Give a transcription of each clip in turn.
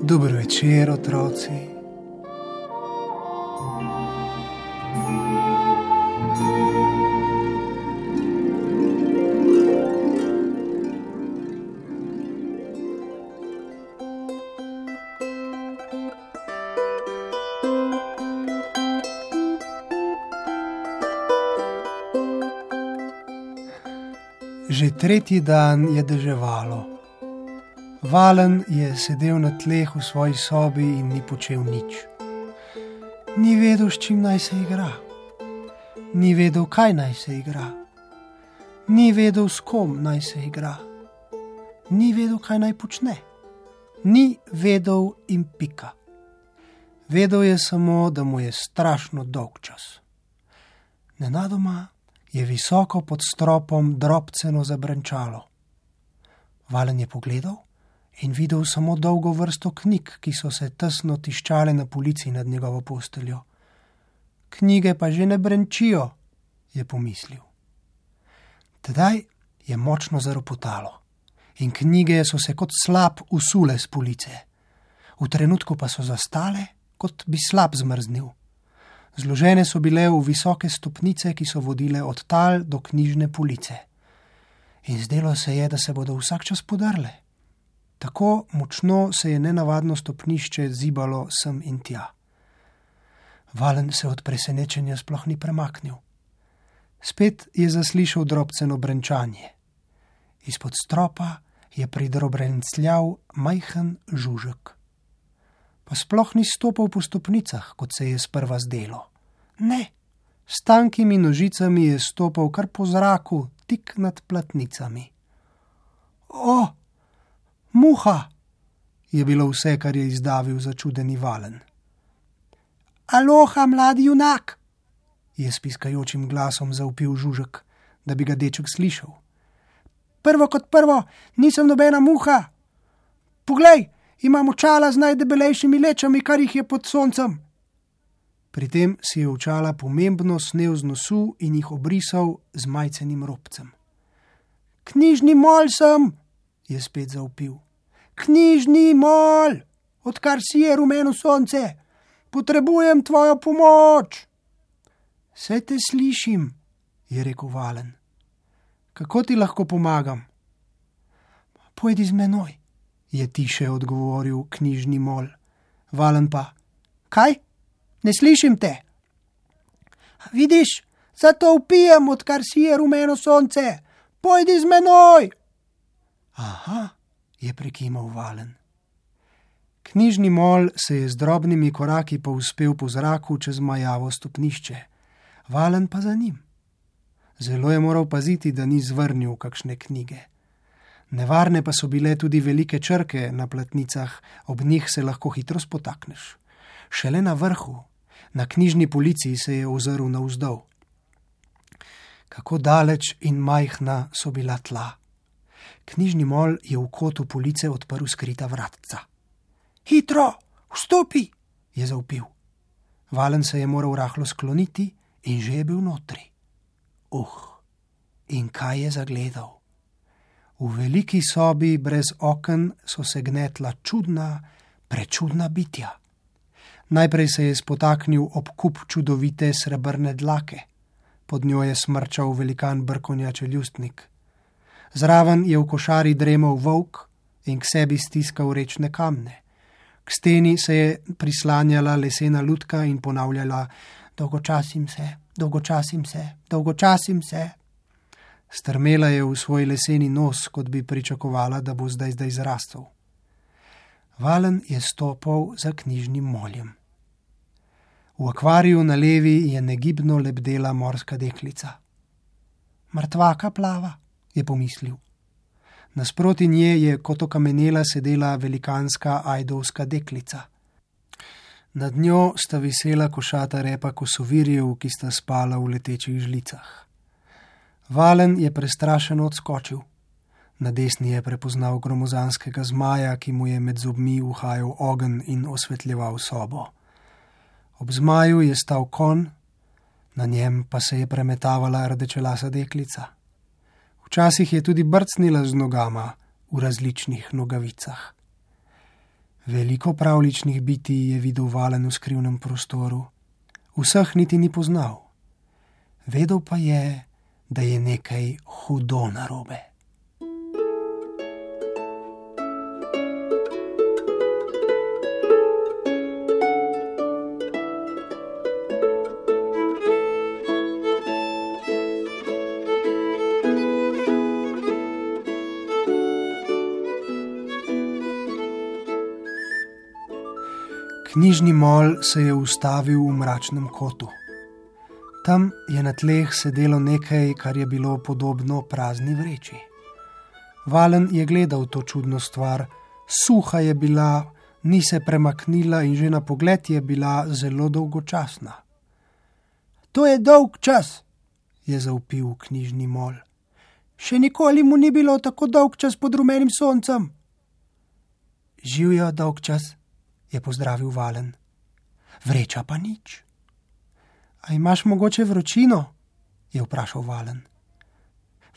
Dober večer, otroci. Že tretji dan je deževalo. Valen je sedel na tleh v svoji sobi in ni počel nič. Ni vedel, s čim naj se igra. Ni vedel, kaj naj se igra. Ni vedel, s kom naj se igra. Ni vedel, kaj naj počne. Ni vedel in pika. Vedel je samo, da mu je strašno dolg čas. Nenadoma je visoko pod stropom drobceno zabrenčalo. Valen je pogledal in videl samo dolgo vrsto knjig, ki so se tesno tiščale na polici nad njegovo posteljo. Knjige pa že ne brenčijo, je pomislil. Tedaj je močno zaropotalo in knjige so se kot slap usule s police. V trenutku pa so zastale, kot bi slap zmrznil. Zložene so bile v visoke stopnice, ki so vodile od tal do knjižne police. In zdelo se je, da se bodo vsak čas podrle. Tako močno se je nenavadno stopnišče zibalo sem in tja. Valen se od presenečenja sploh ni premaknil. Spet je zaslišal drobceno brenčanje. Izpod stropa je pridrobrencljal majhen žužek. Pa sploh ni stopal po stopnicah, kot se je sprva zdelo. Ne, s tankimi nožicami je stopal kar po zraku, tik nad platnicami. O, muha, je bilo vse, kar je izdavil začudeni Valen. Aloha, mladi junak, je s piskajočim glasom zavpil žužek, da bi ga deček slišal. Prvo kot prvo, nisem nobena muha. Poglej, imam očala z najdebelejšimi lečami, kar jih je pod soncem. Pri tem si je očala pomembno snel z nosu in jih obrisal z majcenim robcem. Knjižni mol sem, je spet zavpil. Knjižni mol, odkar si je rumeno sonce. Potrebujem tvojo pomoč. Saj te slišim, je rekel Valen. Kako ti lahko pomagam? Pojdi z menoj, je tiše odgovoril knjižni mol. Valen pa, kaj? Ne slišim te. Vidiš, zato vpijem, odkar si je rumeno sonce. Pojdi z menoj. Aha, je prekimal Valen. Knjižni mol se je z drobnimi koraki povzpel po zraku čez majavo stopnišče. Valen pa za njim. Zelo je moral paziti, da ni zvrnil kakšne knjige. Nevarne pa so bile tudi velike črke na platnicah, ob njih se lahko hitro spotakneš. Šele na vrhu, na knjižni polici, se je ozrl navzdol. Kako daleč in majhna so bila tla. Knjižni mol je v kotu police odprl skrita vratca. Hitro, vstopi, je zavpil. Valen se je moral rahlo skloniti in že je bil notri. In kaj je zagledal? V veliki sobi brez oken so se gnetla čudna, prečudna bitja. Najprej se je spotaknil ob kup čudovite srebrne dlake. Pod njo je smrčal velikan brkonja čeljustnik. Zraven je v košari dremal volk in k sebi stiskal rečne kamne. K steni se je prislanjala lesena lutka in ponavljala: dolgočasim se, dolgočasim se, dolgočasim se. Strmela je v svoj leseni nos, kot bi pričakovala, da bo zdaj zrastel. Valen je stopal za knjižnim moljem. V akvariju na levi je negibno lebdela morska deklica. Mrtvaka plava, je pomislil. Nasproti nje je kot okamenela sedela velikanska ajdovska deklica. Nad njo sta visela košata repa kosovirjev, ki sta spala v letečih žlicah. Valen je prestrašeno odskočil. Na desni je prepoznal gromozanskega zmaja, ki mu je med zobmi uhajal ogenj in osvetljeval sobo. Ob zmaju je stal konj, na njem pa se je premetavala rdečelasa deklica. Včasih je tudi brcnila z nogama v različnih nogavicah. Veliko pravličnih bitij je videl Valen v skrivnem prostoru. Vseh niti ni poznal. Vedel pa je, da je nekaj hudo narobe. Knjižni mol se je ustavil v mračnem kotu. Tam je na tleh sedelo nekaj, kar je bilo podobno prazni vreči. Valen je gledal to čudno stvar, suha je bila, ni se premaknila in že na pogled je bila zelo dolgočasna. To je dolg čas, je zavpil knjižni mol. Še nikoli mu ni bilo tako dolg čas pod rumenim soncem. Živjo dolg čas, je pozdravil Valen. Vreča pa nič. A imaš mogoče vročino? Je vprašal Valen.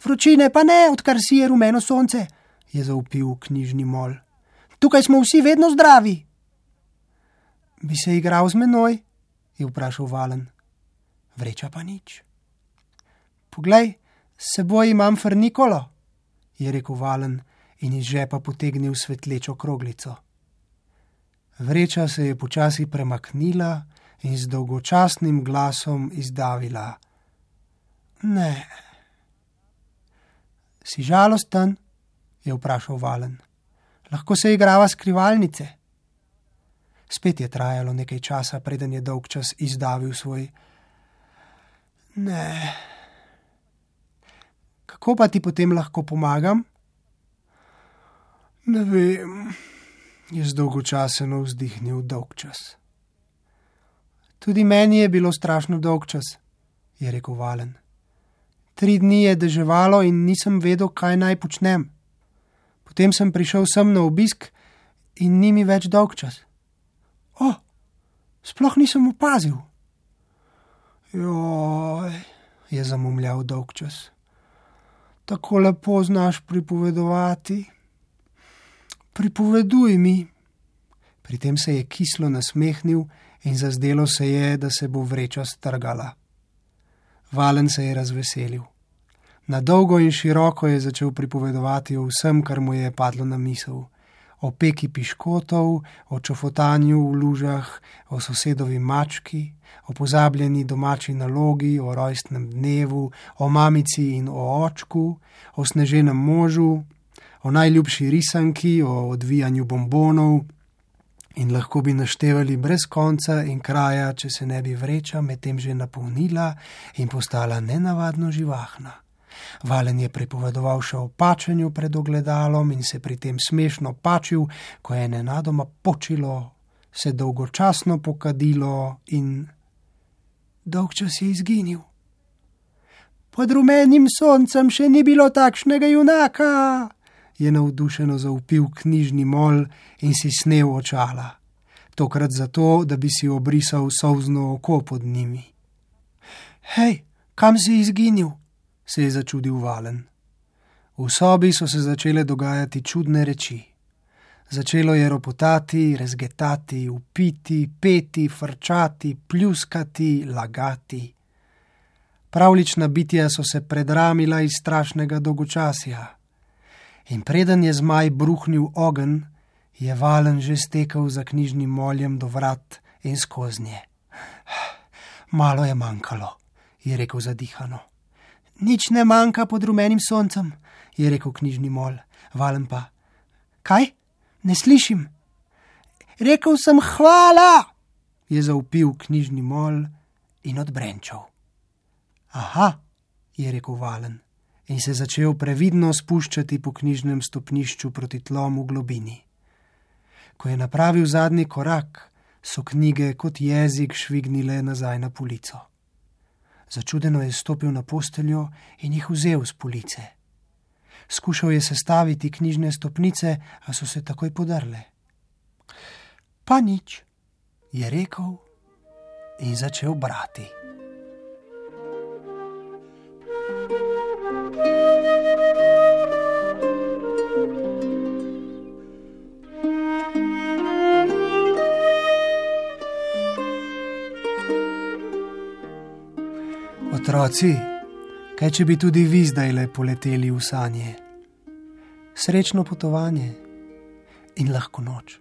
Vročine pa ne, odkar si je rumeno sonce, je zavpil knjižni mol. Tukaj smo vsi vedno zdravi. Bi se igral z menoj? Je vprašal Valen. Vreča pa nič. Poglej, s seboj imam frnikolo, je rekel Valen in iz žepa potegnil svetlečo kroglico. Vreča se je počasi premaknila in z dolgočasnim glasom izdavila. Ne. Si žalosten? Je vprašal Valen. Lahko se igrava skrivalnice. Spet je trajalo nekaj časa, preden je dolgčas izdavil svoj. Ne. Kako pa ti potem lahko pomagam? Ne vem, je zdolgočaseno vzdihnil dolgčas. Tudi meni je bilo strašno dolgčas, je rekel Valen. 3 dni je deževalo in nisem vedel, kaj naj počnem. Potem sem prišel sem na obisk in ni mi več dolgčas. Sploh nisem opazil. Joj, je zamumljal dolgčas. Tako lepo znaš pripovedovati. Pripoveduj mi. Pri tem se je kislo nasmehnil in zazdelo se je, da se bo vreča strgala. Valen se je razveselil. Na dolgo in široko je začel pripovedovati o vsem, kar mu je padlo na misel. O peki piškotov, o čofotanju v lužah, o sosedovi mački, o pozabljeni domači nalogi, o rojstnem dnevu, o mamici in o očku, o sneženem možu, o najljubši risanki, o odvijanju bombonov in lahko bi naštevali brez konca in kraja, če se ne bi vreča medtem že napolnila in postala nenavadno živahna. Valen je pripovedoval še o pačenju pred ogledalom in se pri tem smešno pačil, ko je nenadoma počilo, se dolgočasno pokadilo in dolgčas je izginil. Pod rumenim soncem še ni bilo takšnega junaka, je navdušeno zavpil knjižni mol in si snel očala. Tokrat zato, da bi si obrisal solzno oko pod njimi. Hej, kam si izginil? Se je začudil Valen. V sobi so se začele dogajati čudne reči. Začelo je ropotati, rezgetati, vpiti, peti, frčati, pljuskati, lagati. Pravlična bitja so se predramila iz strašnega dolgočasja. In preden je zmaj bruhnil ogenj, je Valen že stekel za knjižnim moljem do vrat in skoznje. Malo je manjkalo, je rekel zadihano. Nič ne manjka pod rumenim soncem, je rekel knjižni mol. Valen pa. Kaj? Ne slišim. Rekel sem hvala, je zavpil knjižni mol in odbrenčal. Aha, je rekel Valen in se začel previdno spuščati po knjižnem stopnišču proti tlom v globini. Ko je napravil zadnji korak, so knjige kot jezik švignile nazaj na polico. Začudeno je stopil na posteljo in jih vzel s police. Skušal je sestaviti knjižne stopnice, a so se takoj podrle. Pa nič, je rekel in začel brati. Otroci, kaj če bi tudi vi zdajle poleteli v sanje? Srečno potovanje in lahko noč.